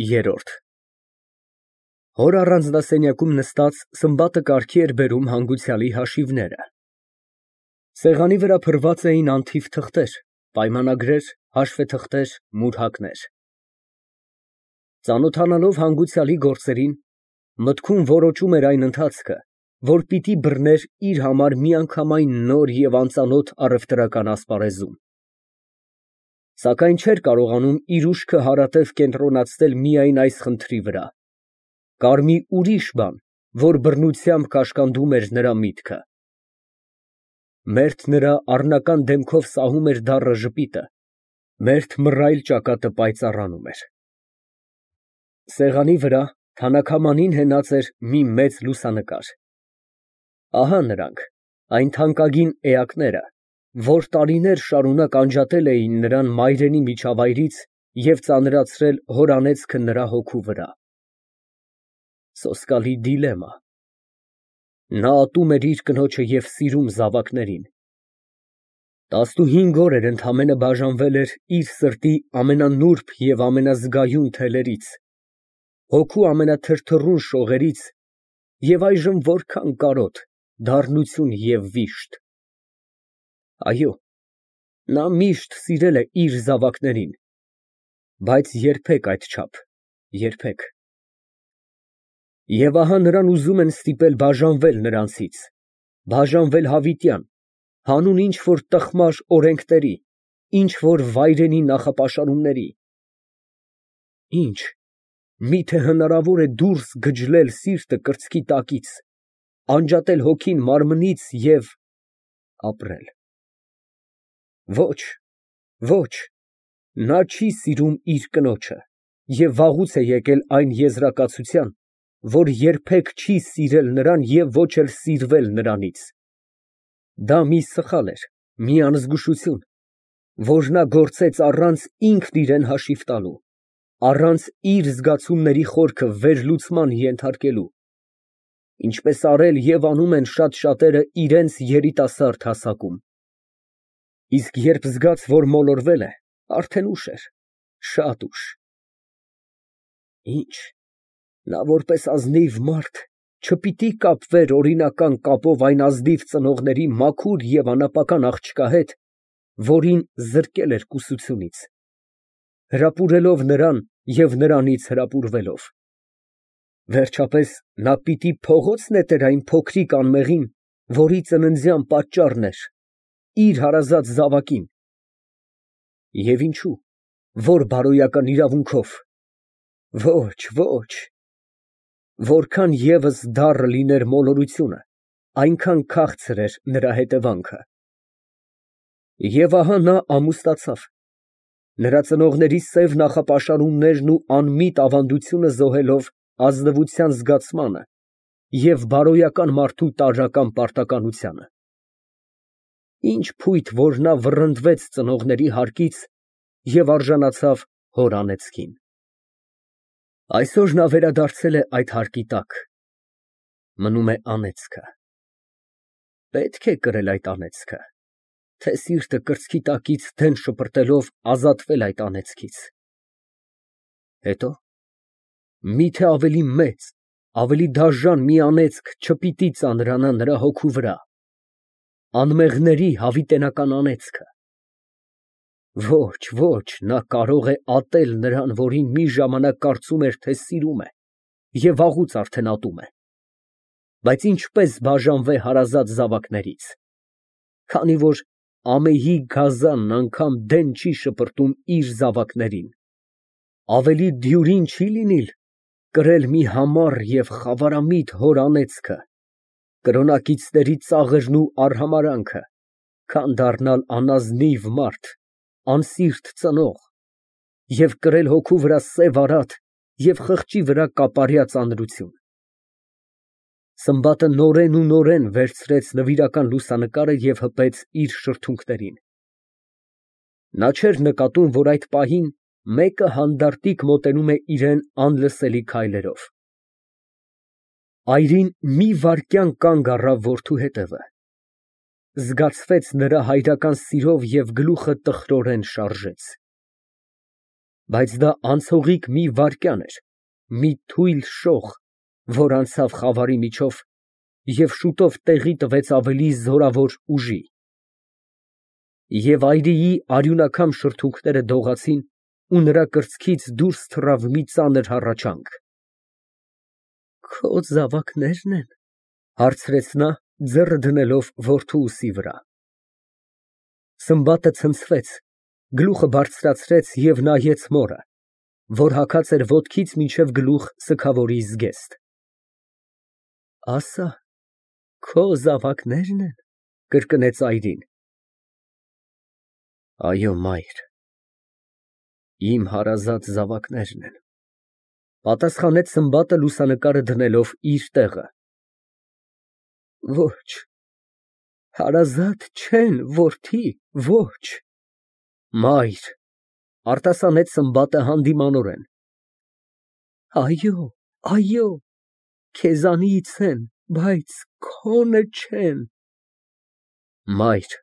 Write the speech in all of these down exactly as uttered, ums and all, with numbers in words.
Երրորդ Հոր առանձնասենյակում նստած, Սմբատը կարգի էր բերում հանգուցյալի հաշիվները. սեղանի վրա փռված էին անթիվ թղթեր, պայմանագրեր, հաշվեթղթեր, մուրհակներ։ Ծանոթանալով հանգուցյալի գործերին, մտքում որոճում էր այն ընթացքը, որ պիտի բռներ իր համար միանգամայն նոր և անծանոթ առևտրական ասպարեզում։ Սակայն չէր կարողանում իր ուշքը հարատև կենտրոնացնել միայն այս խնդրի վրա. կար մի ուրիշ բան, որ բռնությամբ կաշկանդում էր նրա միտքը։ Մերթ նրա առնական դեմքով սահում էր դառը ժպիտը, մերթ մռայլ ճակատը պայծառանում էր։ Սեղանի վրա թանաքամանին հենած էր մի մեծ լուսանկար։ Ահա նրանք, այն թանկագին էակները, որ տարիներ շարունակ անջատել էին նրան մայրենի միջավայրից և ծանրացրել հոր անեծքը նրա հոգու վրա։ Սոսկալի դիլեմա։ Նա ատում էր իր կնոջը և սիրում զավակներին։ Տասնուհինգ օր էր ընդամենը բաժանվել էր իր սրտի ամենանուրբ և ամենազգայուն թելերից, հոգու ամենաթրթռուն շողերից և այժմ որքան կարոտ, դառնություն և վիշտ։ Այո, նա միշտ սիրել է իր զավակներին, բայց երբեք այդչափ, երբեք։ Եվ ահա նրան ուզում են ստիպել բաժանվել նրանցից, բաժանվել հավիտյան, հանուն ինչ֊որ տխմար օրենքների, ինչ֊որ վայրենի նախապաշարումների։ Ի՞նչ, մի՞թե հնարավոր է դուրս գջլել սիրտը կրծքի տակից, անջատել հոգին մարմնից և… ապրել։ Ոչ, ոչ, նա չի սիրում իր կնոջը և վաղուց է եկել այն եզրակացության, որ երբեք չի սիրել նրան և ոչ էլ սիրվել նրանից։ Դա մի սխալ էր, մի անզգուշություն, որ նա գործեց առանց ինքն իրան հաշիվ տալու, առանց իր զգացումների խորքը վերլուծման ենթարկելու, ինչպես արել և անում են շատ շատերը իրենց երիտասարդ հասակում։ Իսկ երբ զգաց, որ մոլորվել է, արդեն ուշ էր, շատ ուշ։ Ի՞նչ, նա որպես ազնիվ մարդ չպիտի կապվեր օրինական կապով այն ազնիվ ծնողների մաքուր և անապական աղջկա հետ, որին զրկել էր կուսությունից, հրապուրելով նրան և նրանից հրապուրվելով։ Վերջապես, նա պիտի փողո՞ց նետեր այն փոքրիկ անմեղին, որի ծննդյան պատճառն էր, իր հարազատ զավակին։ Եվ ինչո՞ւ, ո՞ր բարոյական իրավունքով։ Ոչ, ոչ, որքան ևս դառը լիներ մոլորությունը, այնքան քաղցր էր նրա հետևանքը։ Եվ ահա նա ամուսնացավ, նրա ծնողների սև նախապաշարումներն ու անմիտ ավանդությունը զոհելով ազնվության զգացմանը և բարոյական մարդու տարրական պարտականությանը։ Ինչ փույթ, որ նա վռնդվեց ծնողների հարկից և արժանացավ հոր անեծքին։ Այսօր նա վերադարձել է այդ հարկի տակ, մնում է անեծքը։ Պետք է կրել այդ անեծքը, թե սիրտը կրծքի տակից դեն շպրտելով ազատվել այդ անեծքից։ Հետո՞, մի՞թե ավելի մեծ, ավելի դաժան մի անեծք չպիտի ծանրանա նրա հոգու վրա, անմեղների հավիտենական անեծքը։ Ոչ, ոչ, նա կարող է ատել նրան, որին մի ժամանակ կարծում էր, թե սիրում է և վաղուց արդեն ատում է, բայց ինչպե՞ս բաժանվե հարազատ զավակներից, քանի որ ամեհի գազանն անգամ դեն չի շպրտում իր զավակներին, ավելի դյուրին չի լինիլ կրել մի համառ և խավարամիտ հոր անեծքը, կրոնակիցների ծաղրն ու արհամարհանքը, քան դառնալ անազնիվ մարդ, անսիրտ ծնող և կրել հոգու վրա սև արատ և խղճի վրա կապարյա ծանրություն։ Սմբատը նորեն ու նորեն վերցրեց նվիրական լուսանկարը և հպեց իր շրթունքներին։ Նա չէր նկատում, որ այդ պահին մեկը հանդարտիկ մոտենում է իրան անլսելի քայլերով։ Այրին մի վայրկյան կանգ առավ որդու հետևը, զգացվեց նրա հայրական սիրով և գլուխը տխրորեն շարժեց։ Բայց դա անցողիկ մի վայրկյան էր, մի թույլ շող, որ անցավ խավարի միջով և շուտով տեղի տվեց ավելի զորավոր ուժի։ Եվ այրիի արյունաքամ շրթունքները դողացին, ու նրա կրծքից դուրս թռավ մի ծանր հառաչանք։ «Քո զավակնե՞րն են, ֊ հարցրեց նա, ձեռը դնելով որդու ուսի վրա։ Սմբատը ցնցվեց, գլուխը բարձրացրեց և նայեց մորը, որ հագած էր ոտքից մինչև գլուխ սգավորի զգեստ։ «Ասա, քո զավակնե՞րն են, ֊ կրկնեց այրին։ ֊ Այո, մայր, իմ հարազատ զավակներն են, ֊ պատասխանեց Սմբատը լուսանկարը դնելով իր տեղը։ Ոչ, հարազատ չեն, որդի, ոչ։ Մայր, ֊ արտասանեց Սմբատը հանդիմանորեն։ Այո, այո, քեզանից են, բայց քոնը չեն։ Մայր,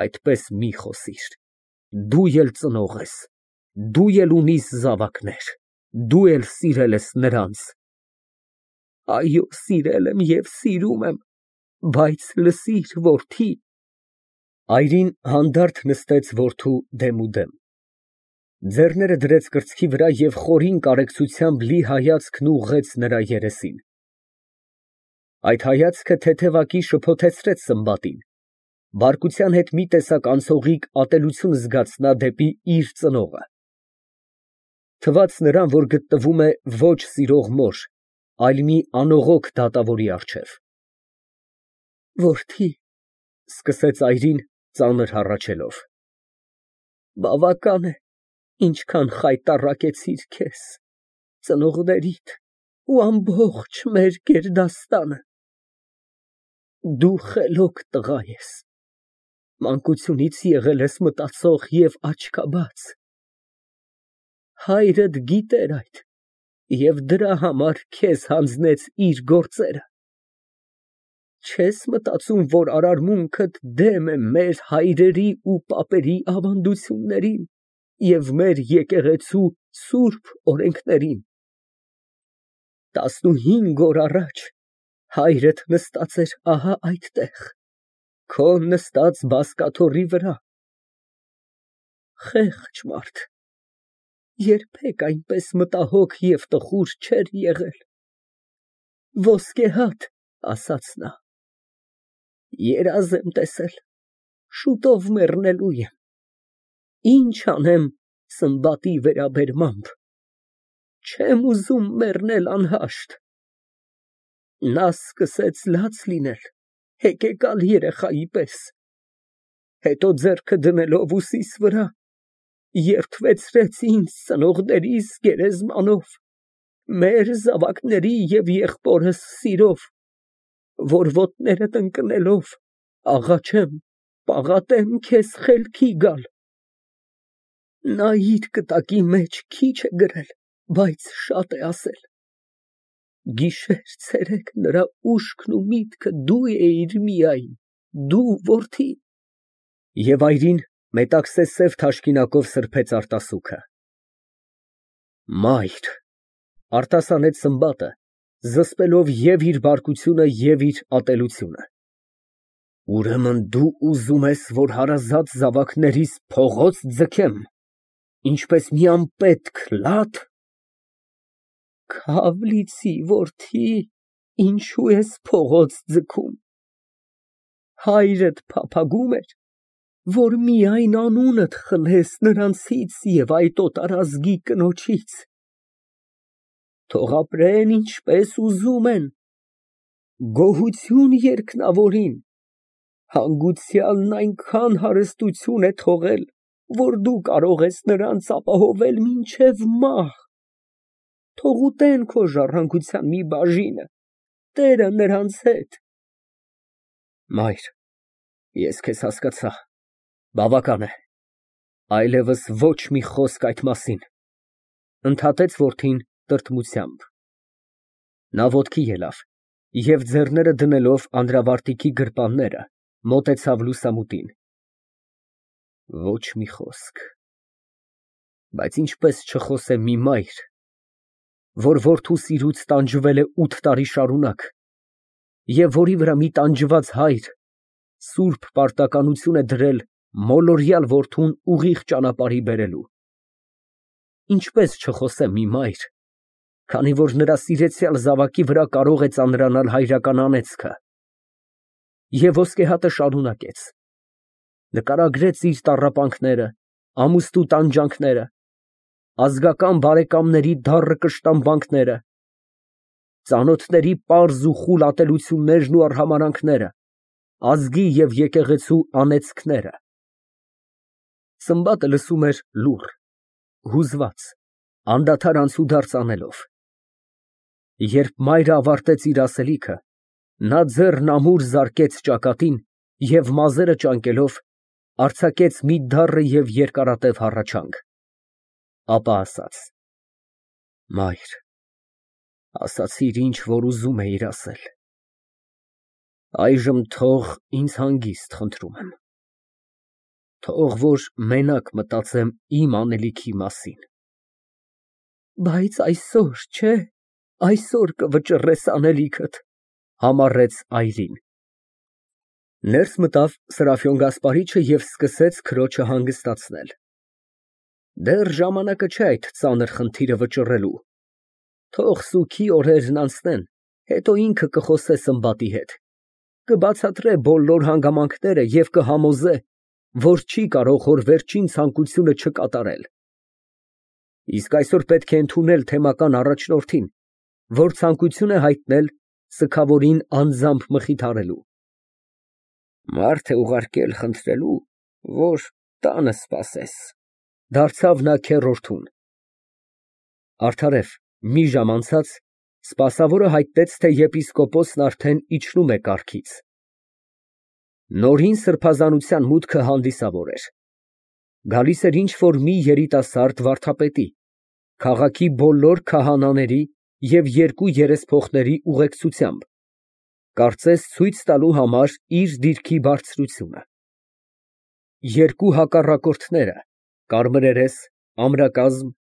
այդպես մի խոսիր, դու էլ ծնող ես, դու էլ ունիս զավակներ, դու էլ սիրել ես նրանց։ Այո, սիրել եմ և սիրում եմ, բայց լսիր, որդի։ Այրին հանդարտ նստեց որդու դեմուդեմ, ձեռները դրեց կրծքի վրա և խորին կարեկցությամբ լի հայացքն ուղղեց նրա երեսին։ Այդ հայացքը թեթևակի շփոթեցրեց Սմբատին, բարկության հետ մի տեսակ անցողիկ ատելություն զգաց նա դեպի իր ծնողը։ Թվաց նրան, որ գտնվում է ոչ սիրող մոր, այլ մի անողոք դատավորի առջև։ Որդի, ֊ սկսեց այրին, ծանր հառաչելով, ֊ բավական է, ինչքան խայտառակեցիր քեզ, ծնողներիդ ու ամբողջ մեր գերդաստանը։ Դու խելոք տղա ես, մանկությունից եղել ես մտածող և աչքաբաց։ Հայրդ գիտեր այդ և դրա համար քեզ հանձնեց իր գործերը։ Չես մտածում, որ արարմունքդ դեմ է մեր հայրերի ու պապերի ավանդություններին և մեր եկեղեցու սուրբ օրենքներին։ Տասնուհինգ օր առաջ հայրդ նստած էր ահա այդտեղ, քո նստած բազկաթոռի վրա։ Խեղճ մարդ, երբեք այնպես մտահոգ և տխուր չէր եղել։ Ոսկե հատ, ասաց նա, երազ եմ տեսել, շուտով մեռնելու եմ, ինչ անեմ Սմբատի վերաբերմամբ, չեմ ուզում մեռնել անհաշտ։ Նա սկսեց լաց լինել, հեկեկալ երեխայի պես, հետո ձեռքը դնելով ուսիս վրա, երդվեցրեց ինձ ծնողներիս գերեզմանով, մեր զավակների և եղբորս սիրով, որ ոտներդ ընկնելով աղաչեմ, պաղատեմ քեզ խելքի գալ։ Նա իր կտակի մեջ քիչ է գրել, բայց շատ է ասել։ Գիշեր֊ցերեկ նրա ուշքն ու միտքը դու էիր միայն, դու, որդի։ Եվ այրին մետաքսե սև թաշկինակով սրբեց արտասուքը։ Մայր, ֊ արտասանեց Սմբատը, զսպելով և իր բարկությունը, և իր ատելությունը։ Ուրեմն դու ուզում ես, որ հարազատ զավակներիս փողոց ձգեմ, ինչպես մի անպետք լա՞თ։ Քավ լիցի, որդի, ինչու ես փողոց ձգում։ Հայրդ փափագում էր, որ միայն անունդ խլես նրանցից և այդ օտարազգի կնոջից։ Թող ապրեն ինչպես ուզում են, գոհություն երկնավորին, հանգուցյալն այնքան հարստություն է թողել, որ դու կարող ես նրանց ապահովել մինչև մահ։ Թող ուտեն քո ժառանգության մի բաժինը, Տերը նրանց հետ։ Մայր, ես քեզ հասկացա, բավական է, այլևս ոչ մի խոսք այդ մասին, ֊ ընդհատեց որդին տրտմությամբ։ Նա ոտքի ելավ և ձեռները դնելով անդրավարտիքի գրպանները, մոտեցավ լուսամուտին։ Ոչ մի խոսք։ Բայց ինչպես չխոսեմ մի մայր, որ որդու սիրուց տանջվել է ութ տարի շարունակ, և որի վրա մի տանջված հայր սուրբ պարտականություն է դրել մոլորյալ որդուն ուղիղ ճանապարհի բերելու։ Ինչպես չխոսեմ մի մայր, քանի որ նրա սիրեցյալ զավակի վրա կարող է ծանրանալ հայրական անեծքը։ Եվ ոսկեհատը շարունակեց. նկարագրեց իր տառապանքները, ամուսնու տանջանքները, ազգական բարեկամների դառը կշտամբանքները, ծանոթների պարզ ու խուլ ատելություններն ու արհամարհանքները, ազգի և եկեղեցու անեծքները։ Սմբատը լսում էր լուռ, հուզված, անդադար անցուդարձ անելով։ Երբ մայրը ավարտեց իր ասելիքը, նա ձեռն ամուր զարկեց ճակատին և մազերը ճանկելով արձակեց մի դառը և երկարատև հառաչանք, ապա ասաց. «Մայր, ասացիր, ինչ որ ուզում էիր ասել, այժմ թող ինձ հանգիստ, խնդրում եմ, թող որ մենակ մտածեմ իմ անելիքի մասին»։ Բայց այսօր, չէ՞, այսօր կվճռես անելիքդ, համառեց այրին։ Ներս մտավ Սրափիոն Գասպարիչը և սկսեց քրոջը հանգստացնել։ Դեռ ժամանակը չէ այդ ծանր խնդիրը վճռելու, թող սուգի օրերն անցնեն, հետո ինքը կխոսե Սմբատի հետ, կբացատրե բոլոր հանգամանքները և կհամոզե, որ չի կարող հոր վերջին ցանկությունը չկատարել։ Իսկ այսօր պետք է ընդունել թեմական առաջնորդին, որ ցանկություն է հայտնել սգավորին անձամբ մխիթարելու։ Մարդ է ուղարկել խնդրելու, որ տանը սպասես, դարձավ նա քեռորդուն։ Արդարև, մի ժամ անցած սպասավորը հայտնեց, թե եպիսկոպոսն արդեն իջնում է կառքից։ Նորին սրբազանության մուտքը հանդիսավոր էր։ Գալիս էր ինչ֊որ մի երիտասարդ վարդապետի, քաղաքի բոլոր քահանաների և երկու երեսփոխների ուղեկցությամբ, կարծես ցույց տալու համար իր դիրքի բարձրությունը։ Երկու հակառակորդները, կարմրերես, ամրակազմ,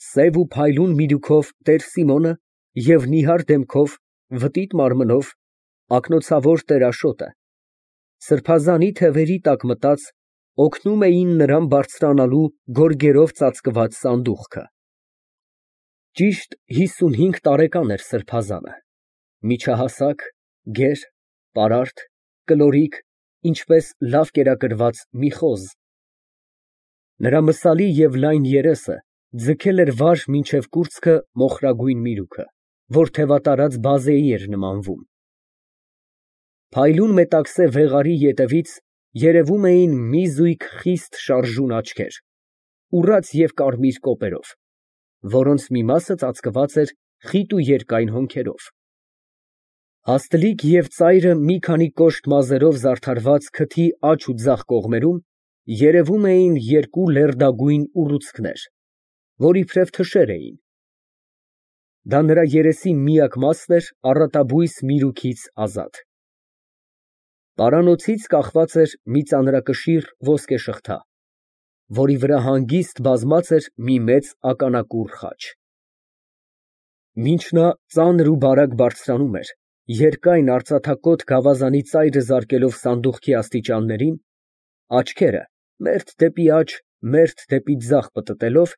սև ու փայլուն միրուքով տեր Սիմոնը և նիհար դեմքով, վտիտ մարմնով, ակնոցավոր տեր Աշոտը, սրբազանի թևերի տակ մտած, օգնում էին նրան բարձրանալու գորգերով ծածկված սանդուղքը։ Ճիշտ հիսունհինգ տարեկան էր սրբազանը, միջահասակ, գեր, պարարտ, կլորիկ, ինչպես լավ կերակրված մի խոզ։ Նրա մսալի և լայն երեսը ձգել էր վար մինչև կուրծքը մոխրագույն միրուքը, որ թևատարած բազեի էր նմանվում։ Փայլուն մետաքսե վեղարի ետևից երևում էին մի զույգ խիստ շարժուն աչքեր, ուռած և կարմիր կոպերով, որոնց մի մասը ծածկված էր խիտ ու երկայն հոնքերով։ Հաստլիկ և ծայրը մի քանի կոշտ մազերով զարդարված քթի աջ ու ձախ կողմերում երևում էին երկու լերդագույն ուռուցքներ, որ իբրև թշեր էին։ Դա նրա երեսի միակ մասն էր առատաբույս միրուքից ազատ։ Պարանոցից կախված էր մի ծանրակշիռ ոսկե շղթա, որի վրա հանգիստ բազմած էր մի մեծ ականակուռ խաչ։ Մինչ նա ծանր ու բարակ բարձրանում էր, երկայն արծաթակոթ գավազանի ծայրը զարկելով սանդուղքի աստիճաններին, աչքերը մերթ դեպի աջ, մերթ դեպի ձախ պտտելով,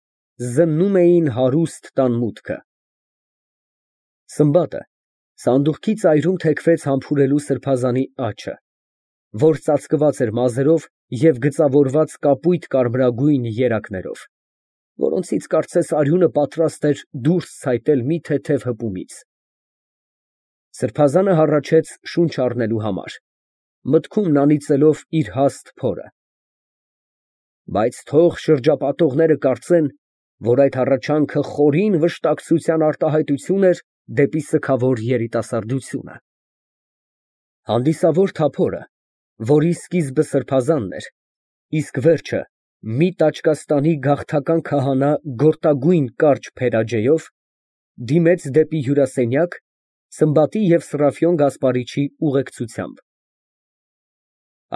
զննում էին հարուստ տան մուտքը։ Սմբատը սանդուղքի ծայրում թեքվեց համբուրելու սրբազանի աջը, որ ծածկված էր մազերով և գծավորված կապույտ կարմրագույն երակներով, որոնցից կարծես արյունը պատրաստ էր դուրս ցայտել մի թեթև հպումից։ Սրբազանը հառաչեց շունչ առնելու համար, մտքում անիծելով իր հաստ փորը։ Բայց թող շրջապատողները կարծեն, որ այդ հառաչանքը խորին վշտակցության արտահայտություն էր դեպի սգավոր երիտասարդությունը։ Հանդիսավոր թափորը, որի սկիզբը սրբազանն էր, իսկ վերջը մի Տաճկաստանի գաղթական քահանա գորտագույն կարճ փերաջեով, դիմեց դեպի հյուրասենյակ Սմբատի և Սրափիոն Գասպարիչի ուղեկցությամբ։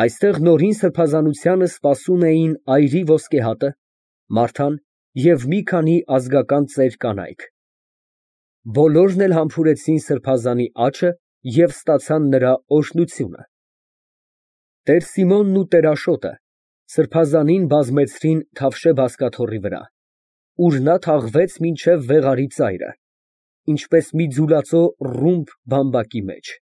Այստեղ նորին սրբազանությանը սպասում էին այրի ոսկեհատը, Մարթան, և մի քանի ազգական ծեր կանայք։ Բոլորն էլ համբուրեցին սրբազանի աջը և ստացան նրա օրհնությունը։ Տեր Սիմոնն ու տեր Աշոտը սրբազանին բազմեցրին Թավշե բազկաթոռի վրա, ուր նա թաղվեց մինչև վեղարի ծայրը, ինչպես մի ձուլածո ռումբ բամբակի մեջ։